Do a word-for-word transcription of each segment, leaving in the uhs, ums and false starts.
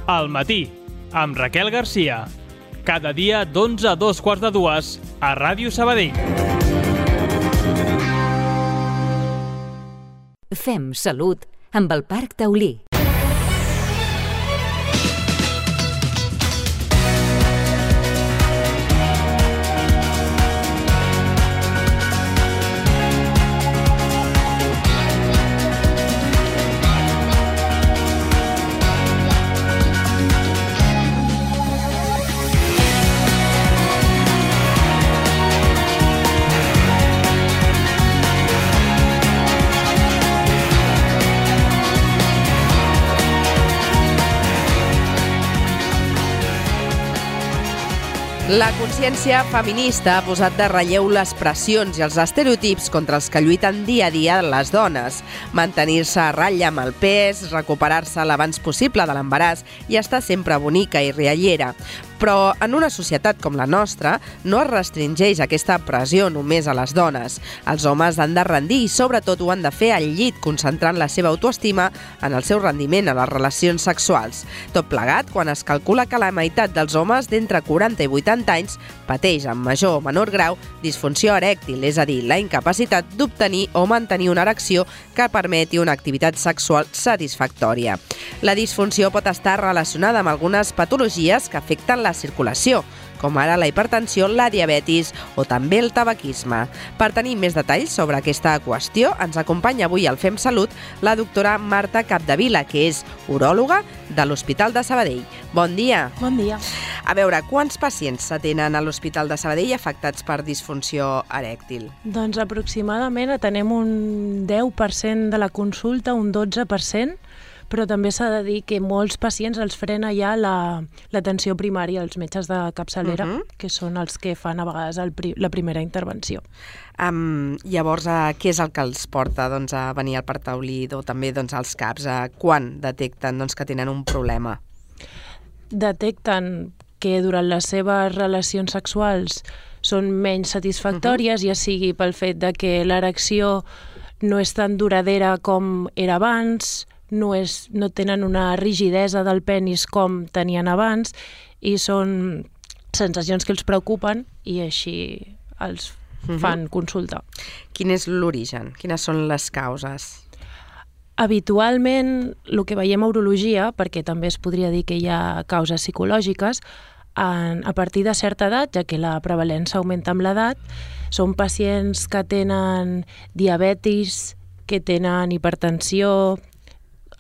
Al matí, amb Raquel Garcia. Cada dia d'onze a dos quarts de dues a Ràdio Sabadell. Fem salut amb el Parc Taulí. La consciència feminista ha posat de relleu les pressions i els estereotips contra els que lluiten dia a dia les dones. Mantenir-se a ratlla amb el pes, recuperar-se l'abans possible de l'embaràs i estar sempre bonica i riallera. Però en una societat com la nostra no es restringeix aquesta pressió només a les dones. Els homes han de rendir i sobretot ho han de fer al llit, concentrant la seva autoestima en el seu rendiment a les relacions sexuals. Tot plegat quan es calcula que la meitat dels homes d'entre quaranta i vuitanta anys pateix en major o menor grau disfunció erèctil, és a dir, la incapacitat d'obtenir o mantenir una erecció que permeti una activitat sexual satisfactòria. La disfunció pot estar relacionada amb algunes patologies que afecten la circulació, com ara la hipertensió, la diabetis o també el tabaquisme. Per tenir més detalls sobre aquesta qüestió, ens acompanya avui al Fem Salut la doctora Marta Capdevila, que és uròloga de l'Hospital de Sabadell. Bon dia. Bon dia. A veure, quants pacients s'atenen a l'Hospital de Sabadell afectats per disfunció erèctil? Doncs aproximadament atenem un deu per cent de la consulta, un dotze per cent, però també s'ha de dir que molts pacients els frena ja l'atenció primària, els metges de capçalera, uh-huh. que són els que fan a vegades el pri la primera intervenció. Um, llavors, uh, què és el que els porta doncs, a venir al Parc Taulí o també doncs, als CAPs? Uh, quan detecten doncs, que tenen un problema? Detecten que durant les seves relacions sexuals són menys satisfactòries, uh-huh. ja sigui pel fet de que l'erecció no és tan duradera com era abans, no, és, no tenen una rigidesa del penis com tenien abans i són sensacions que els preocupen i així els fan uh-huh. consulta. Quin és l'origen? Quines són les causes? Habitualment, el que veiem a urologia, perquè també es podria dir que hi ha causes psicològiques, en, a partir de certa edat, ja que la prevalença augmenta amb l'edat, són pacients que tenen diabetis, que tenen hipertensió,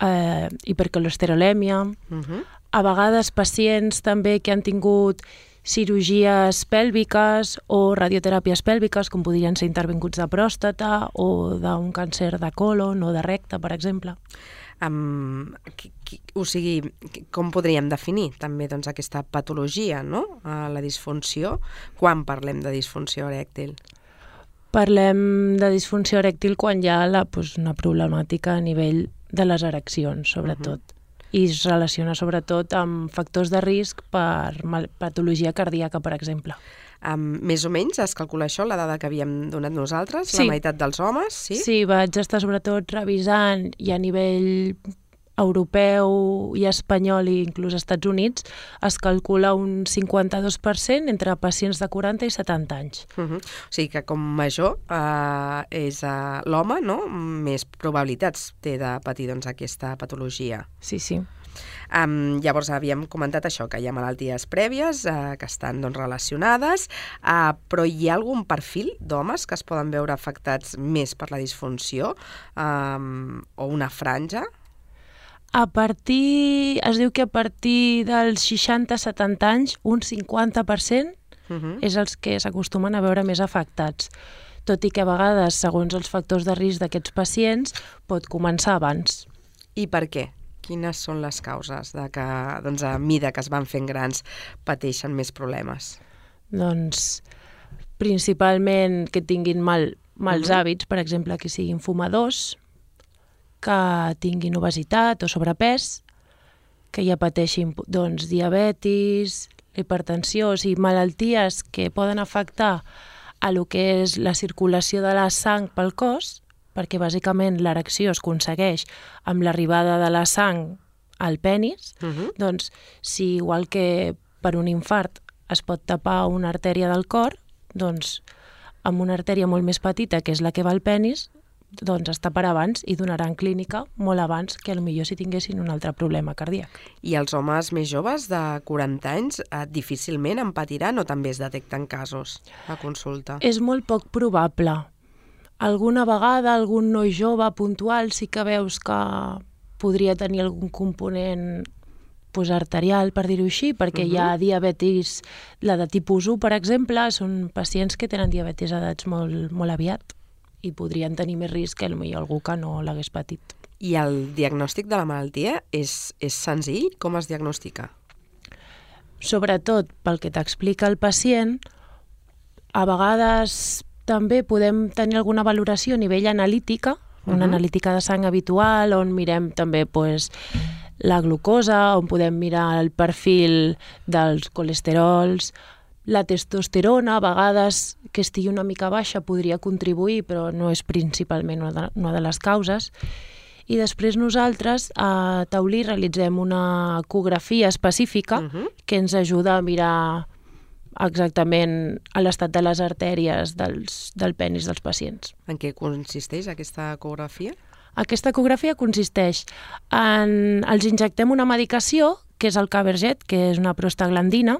eh, hipercolesterolèmia, uh-huh. a vegades pacients també que han tingut cirurgies pèlviques o radioteràpies pèlviques, com podrien ser intervinguts de pròstata o d'un càncer de colon o de recte, per exemple. Um, qui, qui, o sigui, com podríem definir també doncs, aquesta patologia, no? Uh, la disfunció? Quan parlem de disfunció erèctil? Parlem de disfunció erèctil quan hi ha la, doncs, una problemàtica a nivell de les ereccions, sobretot. Uh-huh. I es relaciona sobretot amb factors de risc per patologia cardíaca, per exemple. Um, més o menys es calcula això, la dada que havíem donat nosaltres, sí. La meitat dels homes, sí? Sí, vaig estar sobretot revisant i a nivell europeu i espanyol i inclús als Estats Units es calcula un cinquanta-dos per cent entre pacients de quaranta i setanta anys. Uh-huh. O sigui que com major uh, és uh, l'home, no? Més probabilitats té de patir doncs, aquesta patologia. Sí, sí. Um, llavors havíem comentat això, que hi ha malalties prèvies uh, que estan doncs, relacionades, uh, però hi ha algun perfil d'homes que es poden veure afectats més per la disfunció um, o una franja? A partir, es diu que a partir dels seixanta a setanta anys, un cinquanta per cent uh-huh. és els que s'acostumen a veure més afectats. Tot i que a vegades, segons els factors de risc d'aquests pacients, pot començar abans. I per què? Quines són les causes de que, doncs, a mida que es van fent grans, pateixen més problemes? Doncs, principalment que tinguin mal, mals uh-huh. hàbits, per exemple, que siguin fumadors, que tinguin obesitat o sobrepès, que ja pateixin doncs, diabetis, hipertensió, o sigui, malalties que poden afectar a lo que és la circulació de la sang pel cos, perquè bàsicament l'erecció es aconsegueix amb l'arribada de la sang al penis, uh-huh. doncs si igual que per un infart es pot tapar una artèria del cor, doncs amb una artèria molt més petita, que és la que va al penis, doncs es taparà abans i donarà en clínica molt abans que potser si tinguessin un altre problema cardíac. I els homes més joves de quaranta anys eh, difícilment en patiran o també es detecten casos a consulta? És molt poc probable. Alguna vegada algun noi jove puntual sí que veus que podria tenir algun component pues, arterial, per dir-ho així, perquè uh-huh. hi ha diabetis, la de tipus u, per exemple, són pacients que tenen diabetis a edats molt, molt aviat i podrien tenir més risc que potser algú que no l'hagués patit. I el diagnòstic de la malaltia és, és senzill? Com es diagnostica? Sobretot pel que t'explica el pacient, a vegades també podem tenir alguna valoració a nivell analítica, una uh-huh. analítica de sang habitual, on mirem també pues, la glucosa, on podem mirar el perfil dels colesterols, la testosterona, a vegades que estigui una mica baixa podria contribuir, però no és principalment una de, una de les causes. I després nosaltres a Taulí realitzem una ecografia específica uh-huh. que ens ajuda a mirar exactament a l'estat de les artèries dels, del penis dels pacients. En què consisteix aquesta ecografia? Aquesta ecografia consisteix en... Els injectem una medicació, que és el Caberget, que és una prostaglandina,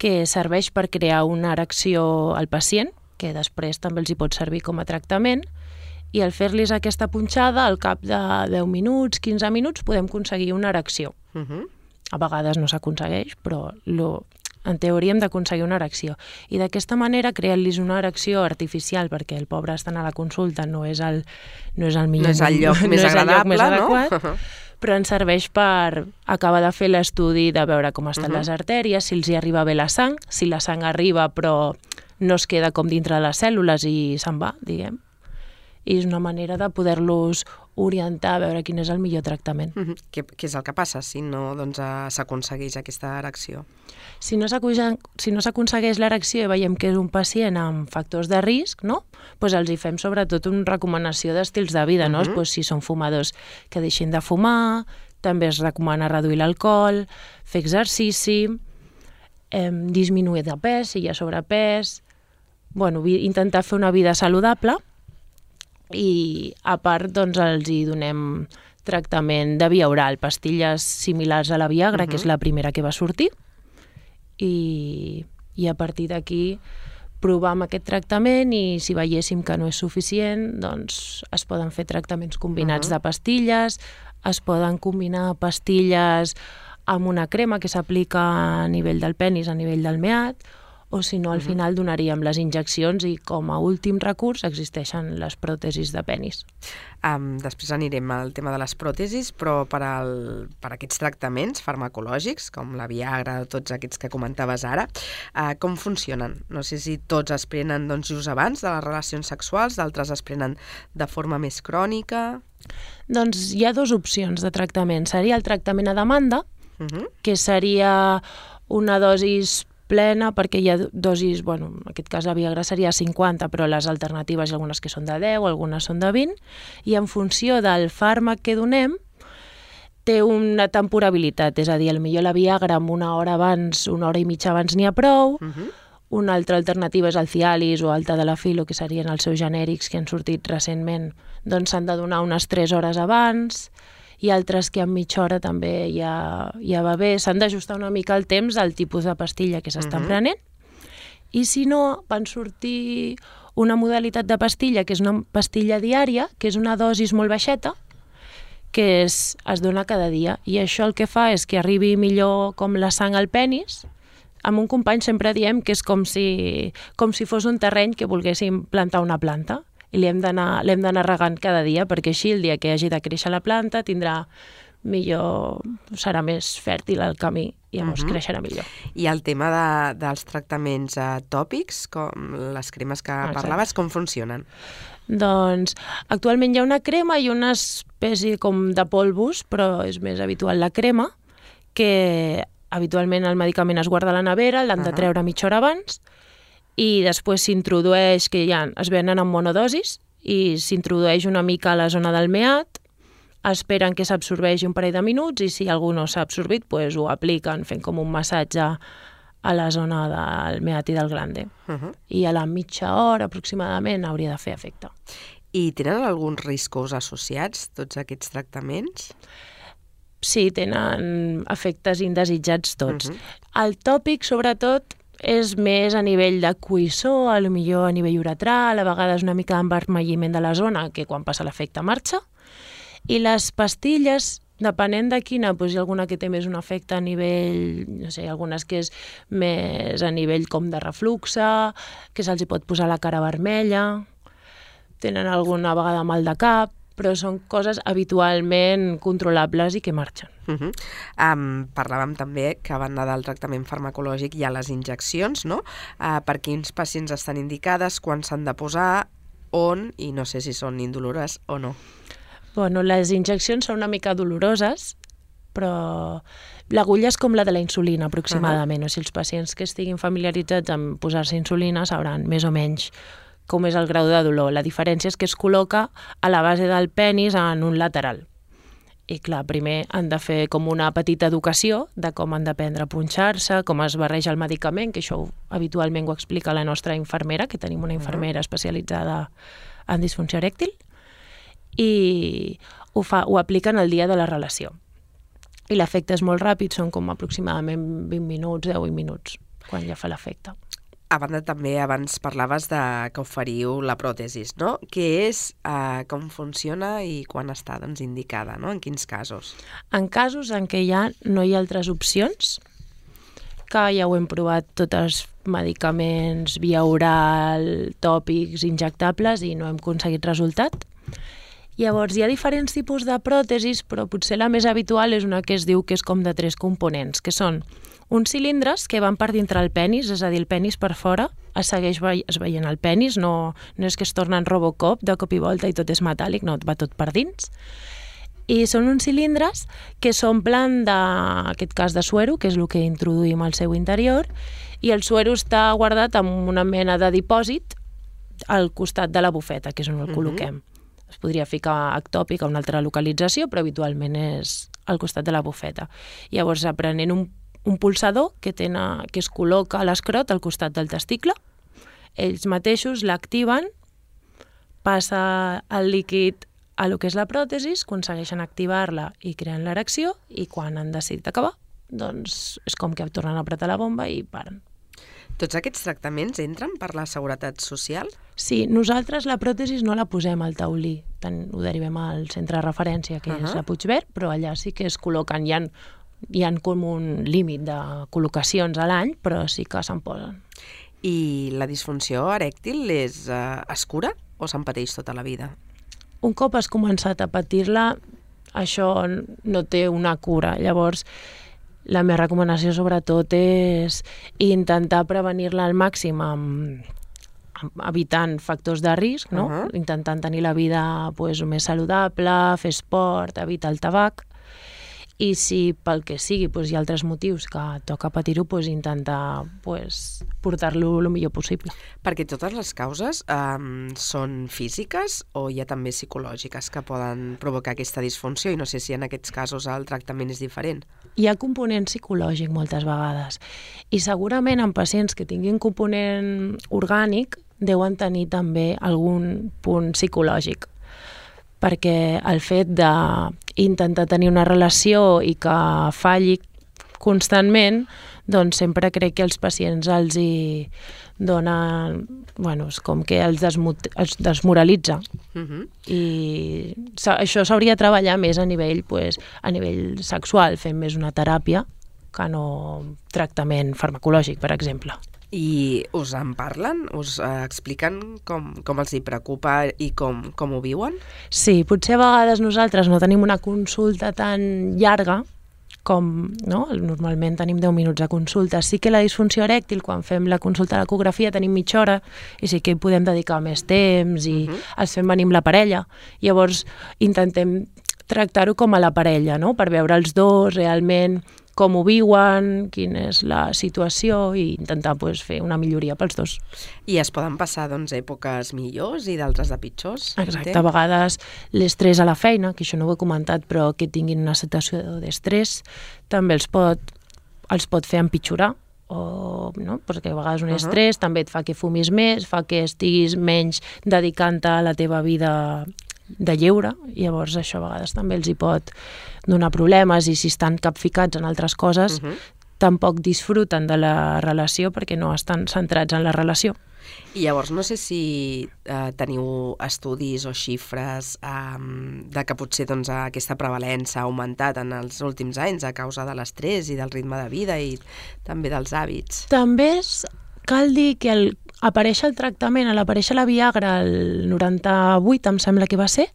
que serveix per crear una erecció al pacient, que després també els hi pot servir com a tractament, i al fer-los aquesta punxada, al cap de deu minuts, quinze minuts, podem aconseguir una erecció. Uh-huh. A vegades no s'aconsegueix, però lo, en teoria hem d'aconseguir una erecció. I d'aquesta manera, creant-los una erecció artificial, perquè el pobre estant a la consulta no és el, no és el millor... No és el lloc més no agradable, més adequat, no? Però ens serveix per acabar de fer l'estudi de veure com estan uh-huh. les artèries, si els hi arriba bé la sang, si la sang arriba però no es queda com dintre de les cèl·lules i se'n va, diguem. I és una manera de poder-los orientar a veure quin és el millor tractament. Uh-huh. Què, què és el que passa si no doncs, s'aconsegueix aquesta erecció? Si no si no s'aconsegueix l'erecció i veiem que és un pacient amb factors de risc, no? Pues els hi fem sobretot una recomanació d'estils de vida. Uh-huh. No? Pues si són fumadors, que deixin de fumar, també es recomana reduir l'alcohol, fer exercici, eh, disminuir de pes si hi ha sobrepès, bueno, intentar fer una vida saludable. I a part doncs, els hi donem tractament de via oral, pastilles similars a la Viagra, uh-huh. que és la primera que va sortir, i, i a partir d'aquí provar amb aquest tractament i si veiéssim que no és suficient, doncs es poden fer tractaments combinats uh-huh. de pastilles, es poden combinar pastilles amb una crema que s'aplica a nivell del penis, a nivell del meat, o si no, al uh-huh. final donaríem les injeccions i com a últim recurs existeixen les pròtesis de penis. Um, després anirem al tema de les pròtesis, però per, al, per aquests tractaments farmacològics, com la Viagra o tots aquests que comentaves ara, uh, com funcionen? No sé si tots es prenen doncs, just abans de les relacions sexuals, d'altres es prenen de forma més crònica... Doncs hi ha dues opcions de tractament. Seria el tractament a demanda, uh-huh. que seria una dosis plena, perquè hi ha dosis, bueno, en aquest cas la Viagra seria cinquanta, però les alternatives hi ha algunes que són de deu, algunes són de vint, i en funció del fàrmac que donem, té una temporabilitat, és a dir, potser la Viagra amb una hora abans, una hora i mitja abans n'hi ha prou, uh-huh. una altra alternativa és el Cialis o el Tadalafil, que serien els seus genèrics que han sortit recentment, doncs s'han de donar unes tres hores abans, i altres que en mitja hora també ja, ja va bé. S'han d'ajustar una mica el temps al tipus de pastilla que s'estan uh-huh. prenent. I si no, van sortir una modalitat de pastilla, que és una pastilla diària, que és una dosis molt baixeta, que és, es dona cada dia. I això el que fa és que arribi millor com la sang al penis. Amb un company sempre diem que és com si, com si fos un terreny que volguéssim plantar una planta. I l'hem d'anar l'hem d'anar regant cada dia, perquè així el dia que hagi de créixer la planta tindrà millor, serà més fèrtil el camí i llavors uh-huh. creixerà millor. I el tema de, dels tractaments uh, tòpics, com les cremes que Exacte. Parlaves, com funcionen? Doncs actualment hi ha una crema i una espècie com de polvos, però és més habitual la crema, que habitualment el medicament es guarda a la nevera, l'han uh-huh. de treure mitja hora abans, i després s'introdueix, que ja es venen en monodosis, i s'introdueix una mica a la zona del meat, esperen que s'absorbeixi un parell de minuts i si algú no s'ha absorbit, pues, ho apliquen fent com un massatge a la zona del meati del glande. Uh-huh. I a la mitja hora aproximadament hauria de fer efecte. I tenen alguns riscos associats, tots aquests tractaments? Sí, tenen efectes indesitjats tots. Uh-huh. El tòpic, sobretot, és més a nivell de coïssor, a lo millor a nivell uretral, a vegades una mica d'envermelliment de la zona, que quan passa l'efecte marxa. I les pastilles, depenent de quina, doncs hi ha alguna que té més un efecte a nivell, no sé, algunes que és més a nivell com de refluxe, que se'ls pot posar la cara vermella, tenen alguna vegada mal de cap, però són coses habitualment controlables i que marxen. Uh-huh. Um, parlàvem també que a banda del tractament farmacològic hi ha les injeccions, no? Uh, per quins pacients estan indicades, quan s'han de posar, on, i no sé si són indolores o no. Bueno, les injeccions són una mica doloroses, però l'agulla és com la de la insulina, aproximadament. Uh-huh. O sigui, els pacients que estiguin familiaritzats amb posar-se insulina sabran més o menys com és el grau de dolor. La diferència és que es col·loca a la base del penis en un lateral. I clar, primer han de fer com una petita educació de com han d'aprendre a punxar-se, com es barreja el medicament, que això habitualment ho explica la nostra infermera, que tenim una infermera especialitzada en disfunció erèctil, i ho, fa, ho apliquen el dia de la relació. I l'efecte és molt ràpid, són com aproximadament vint minuts, deu minuts, quan ja fa l'efecte. A banda, també abans parlaves de que oferiu la pròtesis, no? Què és, eh, com funciona i quan està doncs, indicada, no? En quins casos? En casos en què ja no hi ha altres opcions, que ja ho hem provat tots els medicaments via oral, tòpics, injectables i no hem aconseguit resultat. Llavors, hi ha diferents tipus de pròtesis, però potser la més habitual és una que es diu que és com de tres components, que són uns cilindres que van per dintre el penis, és a dir, el penis per fora, es segueix ve es veient el penis, no, no és que es torna en Robocop de cop i volta i tot és metàl·lic, no, va tot per dins. I són uns cilindres que s'omplen d'aquest cas de suero, que és el que introduïm al seu interior, i el suero està guardat en una mena de dipòsit al costat de la bufeta, que és on el col·loquem. Uh-huh. Es podria ficar ectòpic a una altra localització, però habitualment és al costat de la bufeta. Llavors, aprenent un, un pulsador que, tena, que es col·loca a l'escrot al costat del testicle, ells mateixos l'activen, passa el líquid a lo que és la pròtesi, aconsegueixen activar-la i creen l'erecció, i quan han decidit acabar, doncs és com que tornen a apretar la bomba i paren. Tots aquests tractaments entren per la Seguretat Social? Sí, nosaltres la pròtesi no la posem al taulí, tant ho derivem al centre de referència, que uh-huh. és la Puigverd, però allà sí que es col·loquen, hi ha, hi ha com un límit de col·locacions a l'any, però sí que se'n posen. I la disfunció erèctil és, uh, es cura o se'n pateix tota la vida? Un cop has començat a patir-la, això no té una cura, llavors la meva recomanació sobretot és intentar prevenir-la al màxim amb, amb evitant factors de risc, no? Uh-huh. Intentant tenir la vida pues, més saludable, fer esport, evitar el tabac, i si pel que sigui pues, hi ha altres motius que toca patir-ho, pues, intentar pues, portar-lo el millor possible. Perquè totes les causes um, són físiques o hi ha també psicològiques que poden provocar aquesta disfunció, i no sé si en aquests casos el tractament és diferent? Hi ha component psicològic moltes vegades, i segurament en pacients que tinguin component orgànic deuen tenir també algun punt psicològic, perquè el fet d'intentar tenir una relació i que falli constantment, doncs sempre crec que els pacients els hi donen, bueno, és com que els, els desmoralitza. Uh-huh. I això s'hauria de treballar més a nivell, pues, a nivell sexual, fent més una teràpia que no tractament farmacològic, per exemple. I us en parlen? Us eh, expliquen com, com els hi preocupa i com, com ho viuen? Sí, potser a vegades nosaltres no tenim una consulta tan llarga com, no? Normalment tenim deu minuts de consulta. Sí que la disfunció erèctil, quan fem la consulta a l'ecografia, tenim mitja hora i sí que hi podem dedicar més temps i uh-huh. els fem venir amb la parella. Llavors intentem tractar-ho com a la parella, no? Per veure els dos realment com ho viuen, quina és la situació i intentar pues, fer una milloria pels dos. I es poden passar doncs, èpoques millors i d'altres de pitjors? Exacte, entenc? a vegades l'estrès a la feina, que això no ho he comentat, però que tinguin una situació d'estrès, també els pot, els pot fer empitjorar, o, no? Perquè a vegades un estrès uh-huh. també et fa que fumis més, fa que estiguis menys dedicant-te a la teva vida de lleure, i llavors això a vegades també els hi pot donar problemes, i si estan capficats en altres coses uh-huh. tampoc disfruten de la relació perquè no estan centrats en la relació. I llavors no sé si eh, teniu estudis o xifres eh, de que potser doncs, aquesta prevalença ha augmentat en els últims anys a causa de l'estrès i del ritme de vida i també dels hàbits. També és, cal dir que el, apareix el tractament, a l'aparèixer la Viagra el noranta-vuit, em sembla que va ser,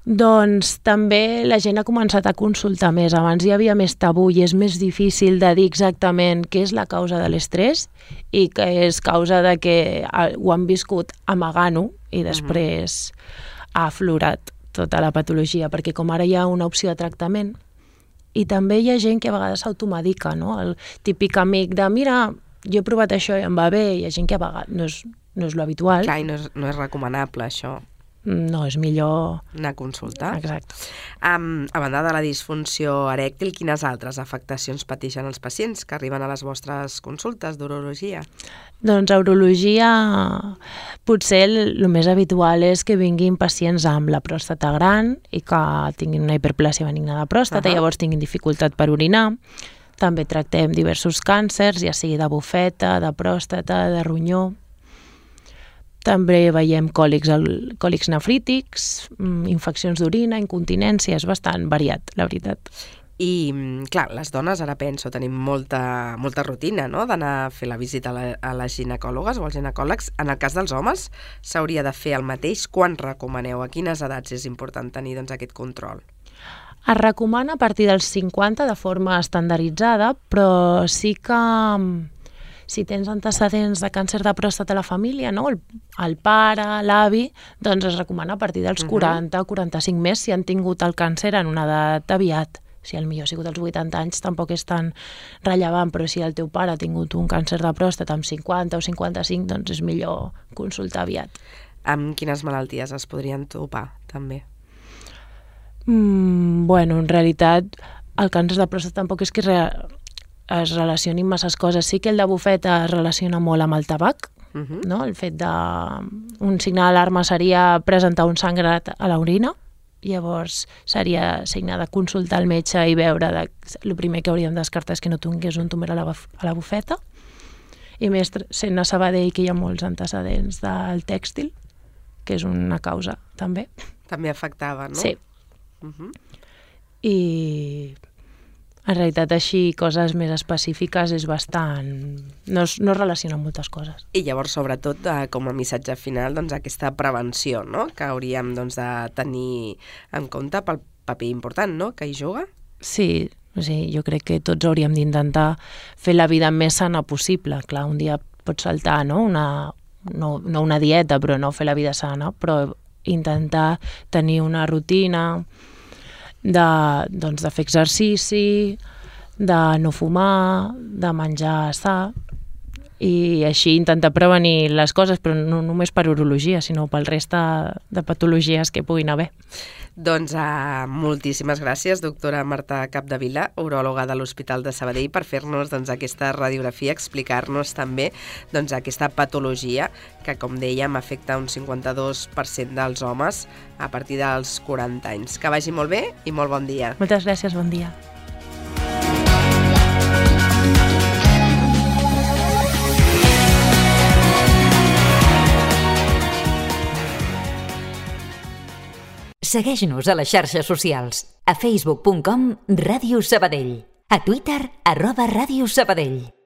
doncs també la gent ha començat a consultar més. Abans hi havia més tabú i és més difícil de dir exactament què és la causa de l'estrès i que és causa de que ho han viscut amagant-ho i després uh-huh. ha aflorat tota la patologia, perquè com ara hi ha una opció de tractament i també hi ha gent que a vegades s'automedica, no? El típic amic de mira, jo he provat això i em va bé, hi ha gent que a vegades no és, no és lo habitual. Clar, i no és, no és recomanable això. No, és millor anar a consultar. Exacte. Um, a banda de la disfunció erèctil, quines altres afectacions pateixen els pacients que arriben a les vostres consultes d'urologia? Doncs a urologia potser el, el més habitual és que vinguin pacients amb la pròstata gran i que tinguin una hiperplàsia benigna de pròstata, uh-huh. llavors tinguin dificultat per orinar. També tractem diversos càncers, ja sigui de bufeta, de pròstata, de ronyó. També veiem còlics, còlics nefrítics, infeccions d'orina, incontinència, és bastant variat, la veritat. I, clar, les dones, ara penso, tenim molta, molta rutina, no?, d'anar a fer la visita a, la, a les ginecòlogues o als ginecòlegs. En el cas dels homes, s'hauria de fer el mateix. Quan recomaneu? A quines edats és important tenir doncs, aquest control? Es recomana a partir dels cinquanta de forma estandarditzada, però sí que si tens antecedents de càncer de pròstata a la família, no? el, el pare, l'avi, doncs es recomana a partir dels quaranta o quaranta-cinc més si han tingut el càncer en una edat aviat. Si el millor ha sigut als vuitanta anys tampoc és tan rellevant, però si el teu pare ha tingut un càncer de pròstata amb cinquanta o cinquanta-cinc, doncs és millor consultar aviat. Amb quines malalties es podrien topar, també? Mm, bueno, en realitat, el càncer de pròstata tampoc és que re es relacionin masses coses. Sí que el de bufeta es relaciona molt amb el tabac, uh-huh. no? El fet de... Un signe d'alarma seria presentar un sangrat a l'orina, llavors seria signe de consultar el metge i veure de... el primer que hauríem de descartar és que no tingués un tumor a la, a la bufeta, i més sent a Sabadell que hi ha molts antecedents del tèxtil, que és una causa també. També afectava, no? Sí. Uh-huh. I en realitat així coses més específiques és bastant... no es, no es relaciona amb moltes coses. I llavors, sobretot, eh, com a missatge final, doncs, aquesta prevenció, no?, que hauríem doncs, de tenir en compte pel paper important, no?, que hi juga. Sí, o sigui, jo crec que tots hauríem d'intentar fer la vida més sana possible. Clar, un dia pots saltar, no?, una, no, no una dieta, però no fer la vida sana, però intentar tenir una rutina de, doncs, de fer exercici, de no fumar, de menjar sa, i així intentar prevenir les coses, però no només per urologia, sinó pel resta de patologies que puguin haver. Doncs uh, moltíssimes gràcies, doctora Marta Capdevila, uròloga de l'Hospital de Sabadell, per fer-nos doncs, aquesta radiografia, explicar-nos també doncs, aquesta patologia que, com dèiem, afecta un cinquanta-dos per cent dels homes a partir dels quaranta anys. Que vagi molt bé i molt bon dia. Moltes gràcies, bon dia. Segueix-nos a les xarxes socials. A facebook punt com Ràdio Sabadell. A Twitter, arroba Ràdio Sabadell.